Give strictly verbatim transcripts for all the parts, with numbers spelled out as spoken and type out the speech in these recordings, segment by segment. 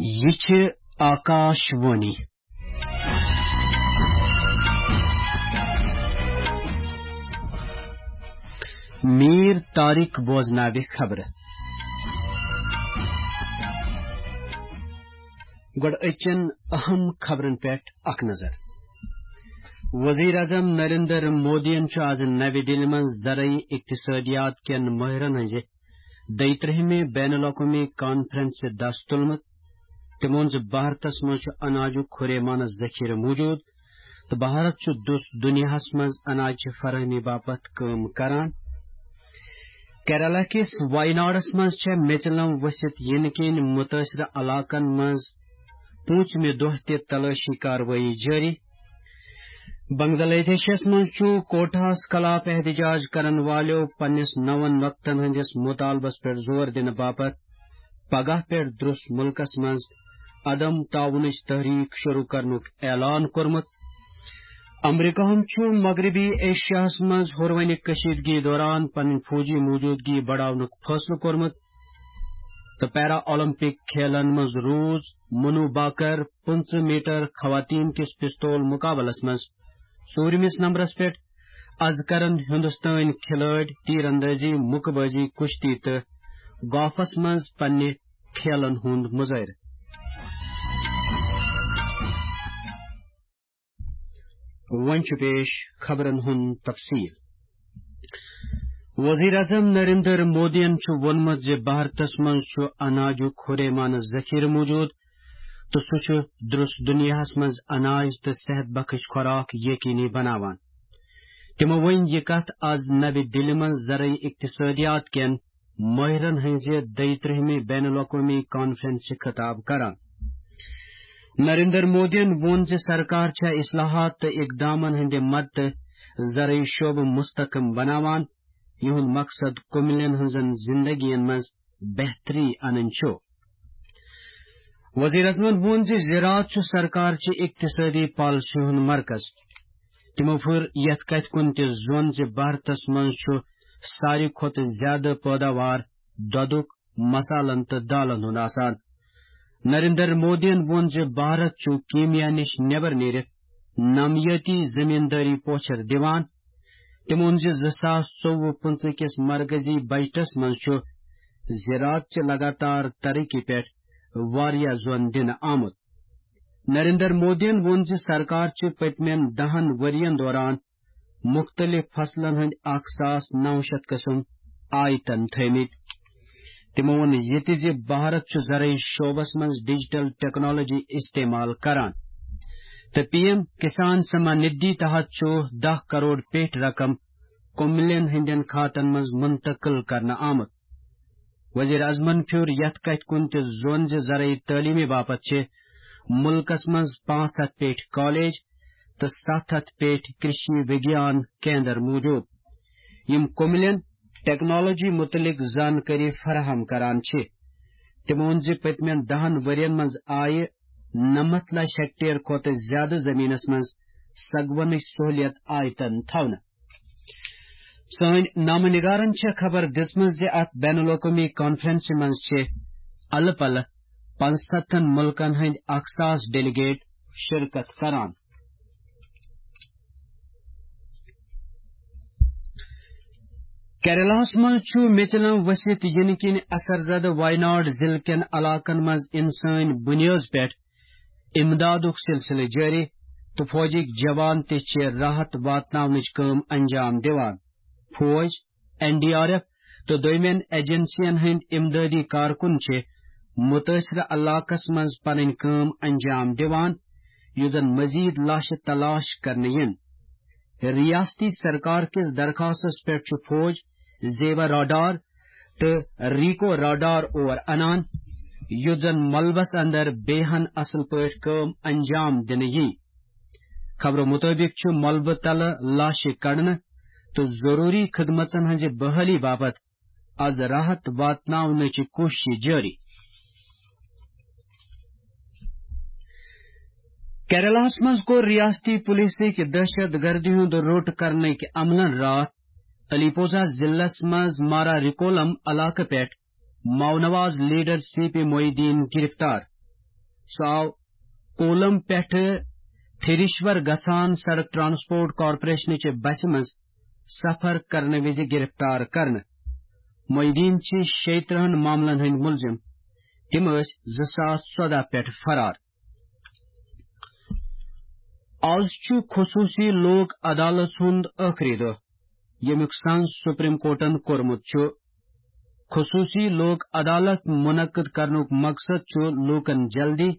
یہِ چھِ آکاش وانی۔ میٖر طارق بوزناوِ خبرٕ۔ گۄڈٕ أزچٮ۪ن اہم خبرن پٮ۪ٹھ اکھ نظر۔ وزیر اعظم نریندر مودیَن چھُ آز نَوِ دِلہِ منٛز زرعی اقتصادیات کٮ۪ن مٲہرن ہٕنٛزِ دۄیہِ ترٛہمہِ بین الاقوٲمی کانفرنسہِ دس تُلمُت۔ تِمو ووٚن زِ بھارتس منٛز چھُ اناجُک ہُریمانہٕ ذخیرٕ موجود تہٕ بھارت چھُ دُس دُنیاہس منٛز اناجچہِ فراہمی باپتھ کٲم کران۔ کیرالہ کِس وایناڈس منٛز چھےٚ میژِلم ؤسِتھ یِنہٕ کِنۍ مُتٲثرٕ علاقن منٛز پوٗنٛژمہِ دۄہ تہِ تلٲشی کاروٲیی جٲری۔ بنگلہ دیشس منٛز چھُ کوٹاہس خلاف احتجاج کرن والیو پننِس نون نۄقطن ہٕنٛدِس مطالبس پٮ۪ٹھ زور دِنہٕ باپتھ پگاہ پٮ۪ٹھ درٛس مُلکس منٛز عدم تعاونٕچ تحریک شروع کرنُک اعلان کوٚرمُت۔ امریکہن چھُ مغربی ایشیاہس منٛز ہُروٕنہِ کشیدگی دوران پنٕنۍ فوجی موجودگی بڑاونُک فٲصلہٕ کوٚرمُت تہٕ پیرا اولمپک کھیلن منٛز روٗز منو باکر پٕنٛژٕہ میٹر خواتین کِس پستول مقابلس منٛز ژوٗرمِس نمبرس پٮ۪ٹھ۔ از کرن ہندوستٲنۍ کھلٲڑۍ تیر اندازی، مُکہٕ بٲزی، کُشتی تہٕ گالفس منٛز پننہِ کھیلن ہُنٛد مظٲہرٕ۔ وۄنۍ چھُ پیش خبرن ہُنٛد تفصیل۔ وزیر اعظم نریندر مودیَن چھُ ووٚنمُت زِ بھارتس منٛز چھُ اناجُک ہُریمانہٕ ذخیرٕ موجود تہٕ سُہ چھُ درٛس دُنیاہس منٛز اناج تہٕ صحت بخش خوراک یقینی بناوان۔ تِمو ؤنۍ یہِ کتھ از نَوِ دِلہِ منٛز زرعی اقتصادیات کٮ۪ن مٲہرن ہٕنٛزِ دۄیہِ ترٛہمہِ بین الاقوٲمی کانفرنسہِ خطاب کران۔ نریندر مودیَن ووٚن زِ سرکار چھےٚ اصلاحات تہٕ اقدامن ہٕنٛدِ مدتہٕ زرعی شعبہٕ مستحکم بناوان، یِہُنٛد مقصد کُملٮ۪ن ہٕنٛزن زندگین منٛز بہتری انٕنۍ چھُ۔ وزیر اعظمن ووٚن زِ زراعت چھُ سرکار چہِ اقتصٲدی پالیسی ہُنٛد مرکز۔ تِمو پھِر یَتھ کَتھِ کُن تہِ زوٚن زِ بھارتس منٛز چھُ ساروی کھۄتہٕ زیادٕ پٲداوار دۄدُک، مسالن تہٕ دالن ہُنٛد آسان۔ نریندر مودیَن ووٚن زِ بھارت چھُ کیٖمیا نِش نٮ۪بر نیٖرِتھ نامیٲتی زٔمیٖندٲری پوچھر دِوان۔ تٔمۍ ووٚن زِ زٕ ساس ژوٚوُہ پٕنٛژٕہ کِس مرکزی بجٹس منٛز چھُ زراعت چہِ لگاتار ترقی پٮ۪ٹھ واریاہ زور دِنہٕ آمُت۔ نریندر مودیَن ووٚن زِ سرکار چھِ پٔتمٮ۪ن دَہَن ؤرۍ یَن دوران مُختٔلِف فصلن ہٕنٛدۍ اکھ ساس نَو شیٚتھ قٕسم آیتن تھٲومٕتۍ۔ تِمو ووٚن یہِ تہِ زِ بھارت چھُ زرعی شعبس منٛز ڈیجیٹل ٹیکنالوجی استعمال کران تہٕ پی ایم کسان سمان ندھی تحت چھُ دَہ کرور پیٹھ رقم کُملٮ۪ن ہٕنٛدٮ۪ن کھاتن منٛز منتقل کرنہٕ آمُت۔ وزیر اعظمن پھیوٗر یَتھ کَتھِ کُن تہِ زوٚن زِ زرعی تعلیٖمہِ باپتھ چھِ مُلکس منٛز پانٛژھ ہَتھ پیٹھ کالج تہٕ ستھ ہَتھ پیٹھ کرشی وگیان کیندر موجود، یِم کُملٮ۪ن ٹیکنالوجی مُتعلق زانکٲری فراہم کران چھِ۔ تِمو ووٚن زِ پٔتمٮ۪ن دَہَن ؤرۍ یَن منٛز آیہِ نَمَتھ لَچھ ہیکٹیر کھۄتہٕ زیادٕ زٔمیٖنَس منٛز سگونٕچ سہوٗلیت آیتن تھاونہٕ۔ سٲنۍ نامہ نگارن چھےٚ خبر دِژمٕژ زِ اتھ بین الاقوٲمی کانفرنسہِ منٛز چھِ الہٕ پلہٕ پانٛژستتھن مُلکن ہٕنٛدۍ اکھ ساس ڈیلیگیٹ شرکت کران۔ کیرلاہس منٛز چھُ میژِلم ؤسِتھ یِنہٕ کِنۍ اثر زدٕ وایناڈ ضلعہٕ کٮ۪ن علاقن منٛز انسٲنۍ بُنیٲدس پٮ۪ٹھ امدادُک سلسلہٕ جٲری تہٕ فوجٕکۍ جوان تہِ چھِ راحت واتناونٕچ کٲم انجام دِوان۔ فوج، این ڈی آر ایف تہٕ دوٚیمٮ۪ن ایجنسین ہٕنٛدۍ امدادی کارکُن چھِ مُتٲثرٕ علاقس منٛز پنٕنۍ کٲم انجام دِوان، یُتھ زن مزید لاشہٕ تلاش کرنہٕ یِن۔ ریاستی سرکار کِس درخاستس پٮ۪ٹھ چھُ فوج زیور راڈار تہٕ ریکو راڈار اور انان، یُتھ زن ملبس اندر بیہن اصل پٲٹھۍ کٲم انجام دِنہٕ یی۔ خبرو مُطٲبِق چھُ ملبہٕ تلہٕ لاشہِ کڑنہٕ تہٕ ضروٗری خدمژن ہٕنٛزِ بحالی باپتھ از راحت واتناونٕچہِ کوٗششہِ جٲری۔ کیرلاہس منٛز کوٚر ریاستی پولیسٕکۍ دہشت گردی ہُنٛد روٚٹ کرنٕکۍ عملن راتھ علی پوزا ضلعس منٛز مارا ریکولم علاقہٕ پٮ۪ٹھ ماونواز leader C P Mohiuddin گرفتار۔ سُہ آو کولم پٮ۪ٹھٕ تھریشور گژھان سڑک ٹرانسپورٹ کارپوریشنٕچہِ بسہِ منٛز سفر کرنہٕ وِزِ گرفتار کرنہٕ۔ معیدین چھِ شیٚیہِ ترٕٛہن معاملن ہٕنٛدۍ مُلزِم۔ تِم ٲسۍ زٕ ساس ژۄدہ پٮ۪ٹھ فرار۔ آز چھُ خصوٗصی لوک عدالت ہُنٛد ٲخری دۄہ، ییٚمیُک سنز سپریم کورٹن کوٚرمُت چھُ۔ خصوٗصی لوک عدالت منعقد کرنُک مقصد چھُ لوٗکن جلدی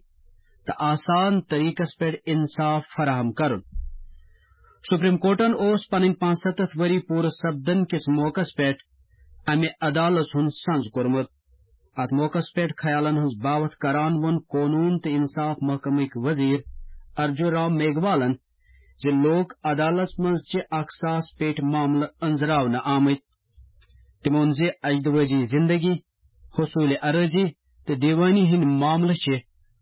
تہٕ آسان طریقس پٮ۪ٹھ انصاف فراہم کرُن۔ سپریم کورٹن اوس پنٕنۍ پانٛژستتھ ؤری پوٗرٕ سپدن کِس موقعس پٮ۪ٹھ امہِ عدالت ہُنٛد سنز کوٚرمُت۔ اتھ موقعس پٮ۪ٹھ خیالن ہٕنٛز باوتھ کران ووٚن قونوٗن تہٕ انصاف محکمٕکۍ وزیر ارجو رام میگھوالن زِ لوک عدالت منٛز چھِ اکھ ساس پیٹھ معاملہٕ أنٛزراونہٕ آمٕتۍ۔ تٔمۍ ووٚن زِ اجدوٲزی زندگی، حصوٗلہِ اراضی تہٕ دیوٲنی ہٕنٛدۍ معاملہٕ چھِ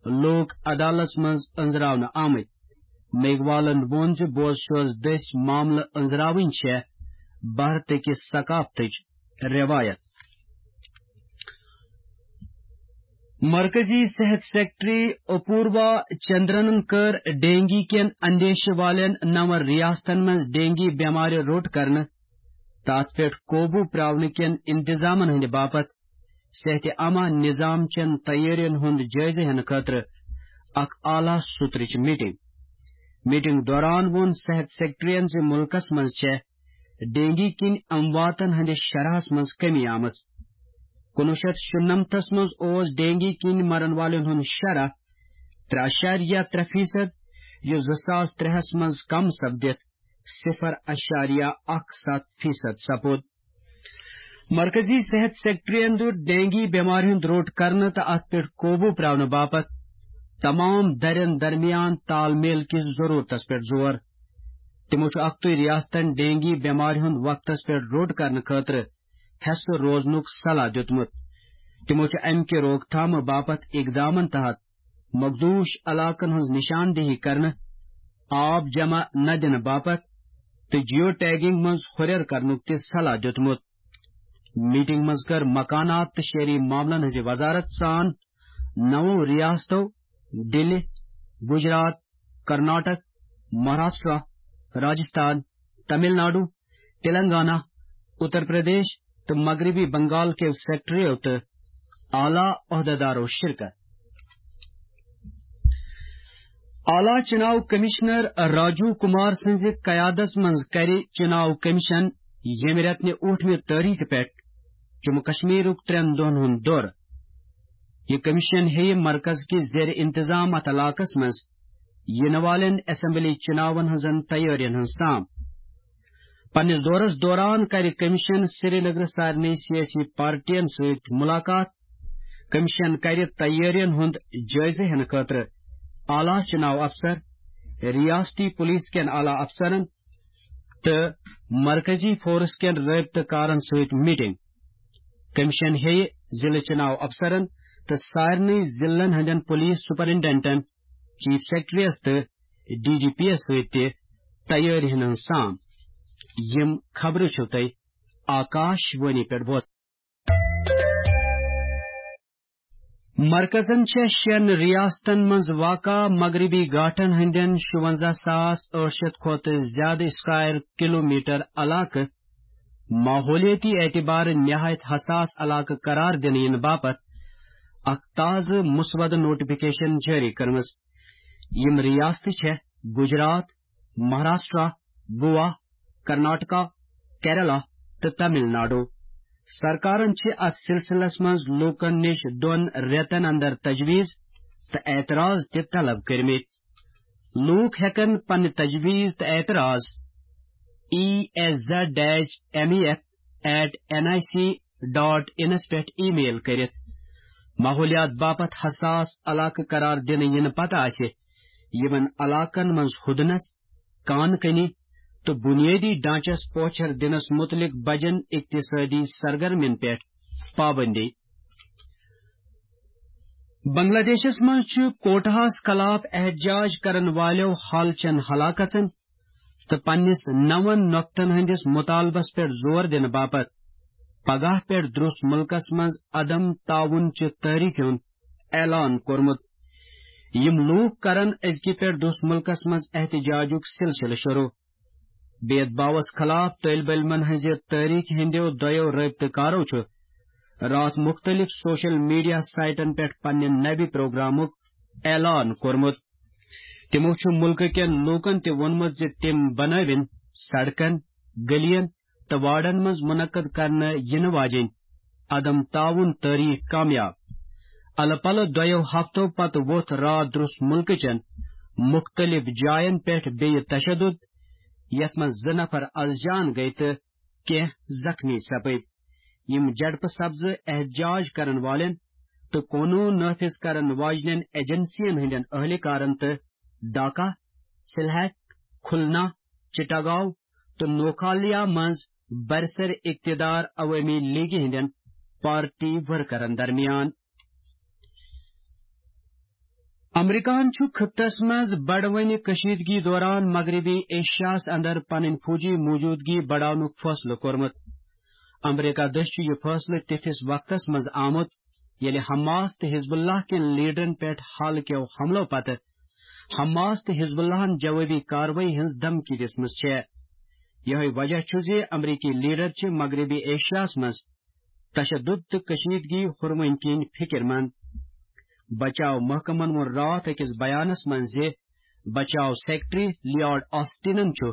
لوک عدالت منٛز أنٛزراونہٕ آمٕتۍ۔ میگھوالن ووٚن زِ بوز شوز دٔسۍ معاملہٕ أنٛزراوٕنۍ چھےٚ بھارتٕکہِ ثقافتٕچ رٮ۪وایت۔ مرکزی صحت سیکرٹری اپوروا چندرنن کٔر ڈینگی کٮ۪ن اندیشہٕ والٮ۪ن نَوَن ریاستن منٛز ڈینگی بٮ۪مارِ روٚٹ کرنہٕ تہٕ اتھ پٮ۪ٹھ قوبوٗ پراونہٕ کٮ۪ن انتظامن ہٕنٛدِ باپتھ صحت عامہ نظام چٮ۪ن تیٲرین ہُنٛد جٲیزٕ ہٮ۪نہٕ خٲطرٕ اکھ اعلیٰ سطرٕچ میٹنگ۔ میٹنگ دوران ووٚن صحت سیکرٹریَن زِ مُلکَس منٛز چھےٚ ڈینگی کِنۍ امواتن ہٕنٛدِس شرحَس منٛز کمی آمٕژ۔ کُنوُہ شیٚتھ شُنَمتھس منٛز اوس ڈینگی کِنۍ مرن والٮ۪ن ہُنٛد شرح ترٛےٚ اعشاریہ ترٛےٚ فیصد، یُس زٕ ساس ترٛےٚ ہَس منٛز کم سپدِتھ صفر اعشاریہ اکھ ستھ فیصد سپُد۔ مرکزی صحت سیکرٹریَن دیُت ڈینگی بٮ۪مارِ ہُنٛد روٚٹ کرنہٕ تہٕ اتھ پٮ۪ٹھ قوبوٗ پراونہٕ باپتھ تمام درٮ۪ن درمیان تال میل کِس ضروٗرتس پٮ۪ٹھ زور۔ تِمو چھُ اکتُے ریاستن ڈینگی بٮ۪مارِ ہُنٛد وقتس پٮ۪ٹھ روٚٹ کرنہٕ خٲطرٕ حٮ۪سہٕ روزنُک صلاح دیُتمُت۔ تِمو چھُ امہِ کہِ روک تھامہٕ باپتھ اقدامن تحت مخدوش علاقن ہٕنٛز نشاندہی کرنہٕ، آب جمع نہ دِنہٕ باپتھ تہٕ جیو ٹیگنگ منٛز ہُرٮ۪ر کرنُک تہِ صلاح دیُتمُت۔ میٹنگ منٛز کٔر مکانات تہٕ شہری معاملن ہٕنٛزِ وزارت سان نَوَو ریاستو دِلہِ، گجرات، کرناٹک، مہاراشٹرا، راجستھان، تمل ناڈو، تلنگانہ، اتر پردیش تہٕ مغربی بنگال کیو سیکرٹریو تہٕ اعلیٰ عہدیدارو شرکت۔ اعلیٰ چناو کمشنر راجو کمار سٕنٛزِ قیادس منٛز کرِ چناو کمشن ییٚمہِ رٮ۪تہٕ نہِ ٲٹھمہِ تٲریخ پٮ۪ٹھ جموں کشمیرُک ترٛٮ۪ن دۄہن ہُنٛد دورٕ۔ یہِ کمشن ہیٚیہِ مرکز کِس زیر انتظام اتھ علاقس منٛز یِنہٕ والٮ۪ن اسمبلی چناون ہٕنٛزن تیٲرین ہٕنٛز سام۔ پننِس دورس دوران کرِ کمشن سرینگرٕ سارنٕے سیٲسی پارٹین سۭتۍ مُلاقات۔ کمشن کرِ تیٲرین ہُنٛد جٲیزٕ ہٮ۪نہٕ خٲطرٕ اعلیٰ چناو افسر، ریاستی پولیس کٮ۪ن اعلیٰ افسرن تہٕ مرکزی فورس کٮ۪ن رٲبطہٕ کارن سۭتۍ میٹنگ۔ کمشن ہیٚیہِ ضلعہٕ چناو افسرن تہٕ سارنٕے ضلعن ہٕنٛدٮ۪ن پولیس سپرنٹنڈنٹن، چیف سیکرٹریس تہٕ ڈی جی پی یس سۭتۍ تہِ تیٲری ہٕنٛز سام۔ یِم خبرٕ چھِو تۄہہِ آکاش وانی پٮ۪ٹھ بوزان۔ مرکزن چھےٚ شٮ۪ن ریاستن منٛز واقع مغربی گھاٹن ہٕنٛدٮ۪ن شُوَنزاہ ساس ٲٹھ شیٚتھ کھۄتہٕ زیادٕ اسکوائر کلومیٹر علاقہٕ ماحولیٲتی اعتبارٕ نہایت حساس علاقہٕ قرار دِنہٕ یِنہٕ باپتھ اکھ تازٕ مسودٕ نوٹیفکیشن جٲری کٔرمٕژ۔ یِم ریاستہٕ چھےٚ گجرات، مہاراشٹرا، گوا، کرناٹکا، کیرلا تہٕ تمل ناڈو۔ سرکارن چھِ اتھ سلسلس منٛز لوٗکن نِش دۄن رٮ۪تن اندر تجویز تہٕ اعتراض تہِ طلب کٔرمٕتۍ۔ لوٗکھ ہٮ۪کن پنٕنۍ تجویز تہٕ اعتراض E S Z dash M E F at N I C dot انس پٮ۪ٹھ ای میل کٔرِتھ۔ ماحولیات باپتھ حساس علاقہٕ قرار دِنہٕ یِنہٕ پتہٕ آسہِ یِمن علاقن منٛز ہُدنس، کان کنی تہٕ بنیٲدی ڈھانچس پوچھر دِنس مُتعلق بجن اقتصٲدی سرگرمین پٮ۪ٹھ پابندی۔ بنگلہ دیشس منٛز چھُ کوٹاہس خلاف احتجاج کرن والٮ۪و حالچن ہلاکتن تہٕ پننِس نَوَن نۄقطن ہٕنٛدِس مُطالبس پٮ۪ٹھ زور دِنہٕ باپتھ پگاہ پٮ۪ٹھ درٛوس مُلکس منٛز عدم تعاون چہِ تحریٖکہِ ہُنٛد اعلان کوٚرمُت۔ یِم لوٗکھ کرن أزکہِ پٮ۪ٹھ دُس مُلکس منٛز احتجاجُک سلسلہٕ شروع۔ بید باوس خلاف طٲلب علمن ہٕنٛزِ تحریک ہٕنٛدیو دۄیو رٲبطہٕ کارو چھُ راتھ مُختٔلِف سوشل میڈیا سائٹن پٮ۪ٹھ پننہِ نوِ پروگرامُک اعلان کوٚرمُت۔ تِمو چھُ مُلکہٕ کٮ۪ن لوٗکن تہِ ووٚنمُت زِ تِم بنٲوِن سڑکن، گلیَن تہٕ وارڈن منٛز منعقد کرنہٕ یِنہٕ واجیٚنۍ عدم تعاون تٲریخ کامیاب۔ الہٕ پلہٕ دۄیو ہفتو پتہٕ ووٚتھ راتھ درُس مُلکہٕ چٮ۪ن مُختٔلِف جاین پٮ۪ٹھ بیٚیہِ تشدد، یتھ منٛز زٕ نفر از جان گٔیہِ تہٕ کینٛہہ زخمی سپٕدۍ۔ یِم جھڑپہٕ سبزٕ احتجاج کرن والٮ۪ن تہٕ قونوٗن نافذ کرن واجنٮ۪ن ایجنسین ہٕنٛدٮ۪ن اہلکارن تہٕ ڈھاکہ، سلہٹ، کھلنا، چٹاگاؤ تہٕ نوکھالیا منٛز برسر اقتدار عوٲمی لیگہِ ہٕنٛدٮ۪ن پارٹی ورکرن درمیان۔ امریکہن چھُ خطس منٛز بڑوٕنہِ کشیدگی دوران مغربی ایشیاہس اندر پنٕنۍ فوجی موجودگی بڑاونُک فٲصلہٕ کوٚرمُت۔ امریکہ دٔسۍ چھُ یہِ فٲصلہٕ تِتھِس وقتس منٛز آمُت، ییٚلہِ حماس تہٕ حزب اللہ کٮ۪ن لیڈرن پٮ۪ٹھ حال کٮ۪و حملو پتہٕ حماس تہٕ حزب اللہن جوابی کاروٲیی ہٕنٛز دھمکی دِژمٕژ چھےٚ۔ یِہوٚے وجہ چھُ زِ امریکی لیڈر چھِ مغربی ایشیاہس منٛز تشدد تہٕ کشیدگی ہُروٕنۍ کِنۍ فکر مند۔ بچاو محکمن ووٚن راتھ أکِس بیانس منٛز زِ بچاو سیکرٹری لیارڈ آسٹنن چھُ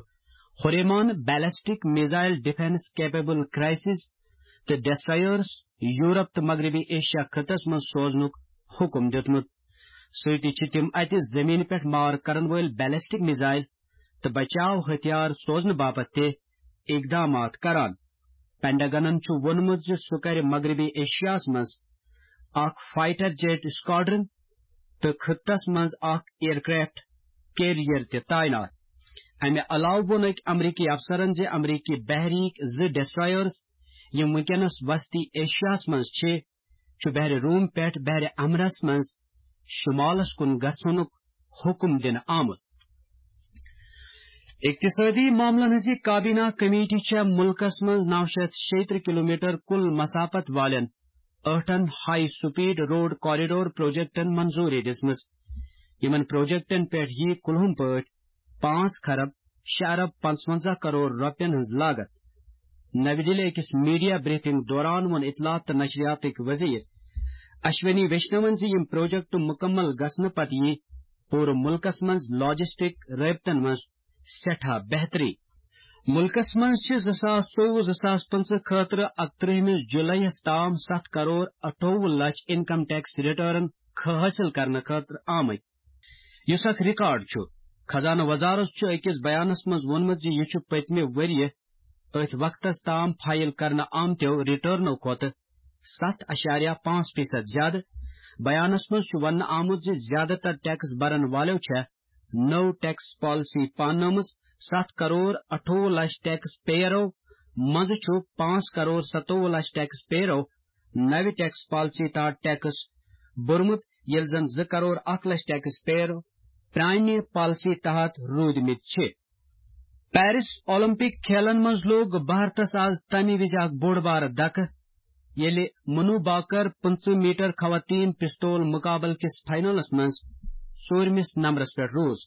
ہُریمان ballistic missile defence capable cruisers تہٕ ڈسٹرائرز یورپ تہٕ مغربی ایشیا خطس منٛز سوزنُک حکم دیُتمُت۔ سۭتی چھِ تِم اتہِ زمینہِ پٮ۪ٹھ مار کرن وٲلۍ بیلسٹک میزائل تہٕ بچاو ہتھیار سوزنہٕ باپتھ تہِ اقدامات کران۔ پینٹاگنن چھُ ووٚنمُت زِ سُہ کرِ مغربی ایشیاہس منٛز اکھ فائٹر جیٹ اسکواڈرن تہٕ خطس منٛز اکھ ایئرکرافٹ کیریئر تہِ تعینات۔ امہِ علاوٕ ووٚن أکۍ امریکی افسرن زِ امریکی بحریک زٕ ڈسٹرائرز، یِم وٕنکیٚنس وسطی ایشیاہس منٛز چھِ، چھُ بحر روم پٮ۪ٹھ بحر احمرس منٛز شمالس کُن گژھنُک حکم دِنہٕ آمُت۔ اقتصٲدی معاملن ہٕنٛز یہِ کابینہ کمیٹی چھےٚ مُلکس منٛز نو شیٚتھ شیٚیہِ ترٕٛہ کلومیٹر کُل مسافت والٮ۪ن ٲٹھن ہائی سپیڈ روڈ کوریڈور پروجیکٹن منظوری دِژمٕژ۔ یِمن پروجیکٹن پٮ۪ٹھ یِیہِ کُلہُم پٲٹھۍ پانٛژھ خرب شےٚ ارب پنٛژونٛزاہ کرور رۄپین ہٕنٛز لاگت۔ نَوِ دِلہِ أکِس میڈیا بریفنگ دوران ووٚن اطلاعات تہٕ نشریاتٕکۍ وزیر اشونی ویشنون زِ یِم پروجیکٹ مُکمل گژھنہٕ پتہٕ یِیہِ پوٗرٕ مُلکس منٛز لاجسٹک رٲبطن منٛز سٮ۪ٹھاہ بہتری۔ مُلکس منٛز چھِ زٕ ساس ژوٚوُہ زٕ ساس پٕنٛژٕہ خٲطرٕ اَکترٕہمِس جُلایَس تام ستھ کرور اَٹھووُہ لچھ انکم ٹیکس ریٹرن خ-، حٲصِل کرنہٕ خٲطرٕ آمٕتۍ، یُس اکھ ریکارڈ چھُ۔ خزانہٕ وزارت چھُ أکِس بیانس منٛز ووٚنمُت زِ یہِ چھُ پٔتمہِ ؤرۍ یہِ أتھۍ وقتس تام فائل کرنہٕ آمتیو ریٹرنو کھۄتہٕ ستھ اَشاریہ پانٛژھ فیصد زیادٕ۔ بیانس منٛز چھُ وننہٕ آمُت زِ زیادٕ تر ٹیکس برن والٮ۪و چھےٚ نٔو ٹیکس پالیسی پاننٲومٕژ۔ ستھ کرور اَٹھووُہ لچھ ٹیکس پیئرو منٛزٕ چھُ پانٛژھ کرور ستووُہ لچھ ٹیکس پیئرو نوِ ٹیکس پالیسی تحت ٹیکس بوٚرمُت، ییٚلہِ زن زٕ کرور اکھ لچھ ٹیکس پیئر پرانہِ پالیسی تحت روٗدمٕتۍ چھِ۔ پیرس اولمپک کھیلن منٛز لوٚگ بھارتس آز تمہِ وِزِ اکھ بوٚڑ بارٕ دھکہٕ، ییٚلہِ منو بھاکر پٕنٛژٕہ میٹر خواتین پستول مقابلہٕ کِس فائنلس منٛز ژوٗرمِس نمبرس پٮ۪ٹھ روٗز۔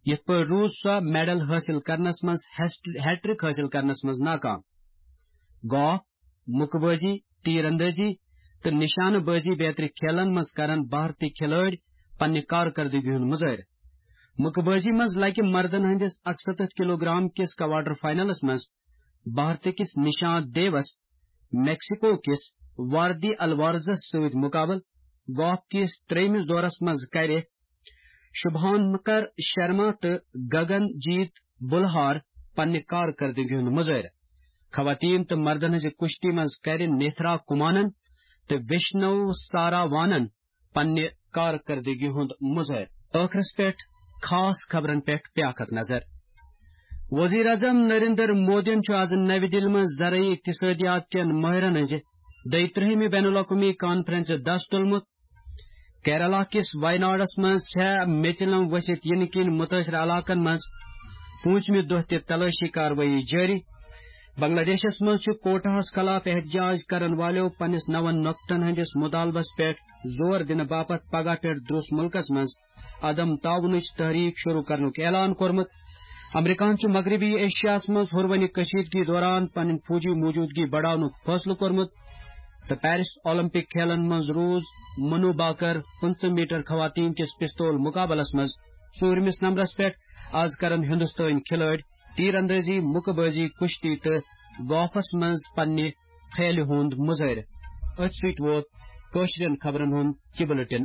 یِتھ پٲٹھۍ روٗز سۄ میڈل حٲصِل کرنس منٛز ہیسٹ-، ہیٹرک حٲصِل کرنس منٛز ناکام۔ گالف، مُکہٕ بٲزی، تیر اندٲزی تہٕ نشانہٕ بٲزی بیترِ کھیلن منٛز کرن بھارتی کھلٲڑۍ پننہِ کارکردگی ہُنٛد مظٲہرٕ۔ مُکہٕ بٲزی منٛز لگہِ مردن ہٕنٛدِس اَکسَتتھ کلوگرام کِس کوارٹر فائنلس منٛز بھارتہٕ کِس نشانت دیوس میکسیکو کِس واردی الوارزس سۭتۍ مقابلہٕ۔ گالف کِس ترٛیٚیمِس دورس منٛز کرِ شُبھانکر شرما تہٕ گگن جیت بلہار پننہِ کارکردگی ہُنٛد مظٲہرٕ۔ خواتین تہٕ مردن ہٕنٛزِ کُشتی منٛز کرِ نیتھرا کمانن تہٕ وشنو ساراوانن پننہِ کارکردگی ہُنٛد مظٲہرٕ۔ ٲخرس پٮ۪ٹھ خاص خبرن پٮ۪ٹھ بیاکھ اکھ نظر۔ وزیر اعظم نریندر مودیَن چھُ آز نَوِ دِلہِ منٛز زرعی اقتصٲدیات کٮ۪ن مٲہرَن ہٕنٛزِ دۄیہِ ترٛہمہِ بین الاقوٲمی کانفرنسہِ دَس تُلمُت۔ کیرالہ کِس وایناڈس منٛز چھےٚ میٚژِ لم ؤسِتھ یِنہٕ کِنۍ مُتٲثِر علاقن منٛز پوٗنٛژمہِ دۄہ تہِ تلٲشی کاروٲیی جٲری۔ بنگلہ دیشس منٛز چھُ کوٹاہس خلاف احتجاج کرن والٮ۪و پننِس نون نۄقطن ہٕنٛدِس مطالبس پٮ۪ٹھ زور دِنہٕ باپتھ پگاہ پٮ۪ٹھ دروس مُلکس منٛز عدم تعاونٕچ تحریک شروع کرنُک اعلان کوٚرمُت۔ امریکہن چھُ مغربی ایشیاہس منٛز ہُروٕنہِ کشیدگی دوران پنٕنۍ فوجی موجودگی بڑاونُک فٲصلہٕ کوٚرمُت تہٕ پیرس اولمپک کھیلن منٛز روٗز منو باکر پٕنٛژٕہ میٹر خواتین کِس پستول مقابلس منٛز ژوٗرمِس نمبرس پٮ۪ٹھ۔ از کرن ہندوستٲنۍ کھلٲڑۍ تیر اندازی، مکہ بازی، کشتی تہٕ گولفس منٛز پننہِ کھیلہِ ہُنٛد مظٲہرٕ۔ أتھۍ سۭتۍ ووت کٲشرٮ۪ن خبرن ہُنٛد یہِ بُلٹن۔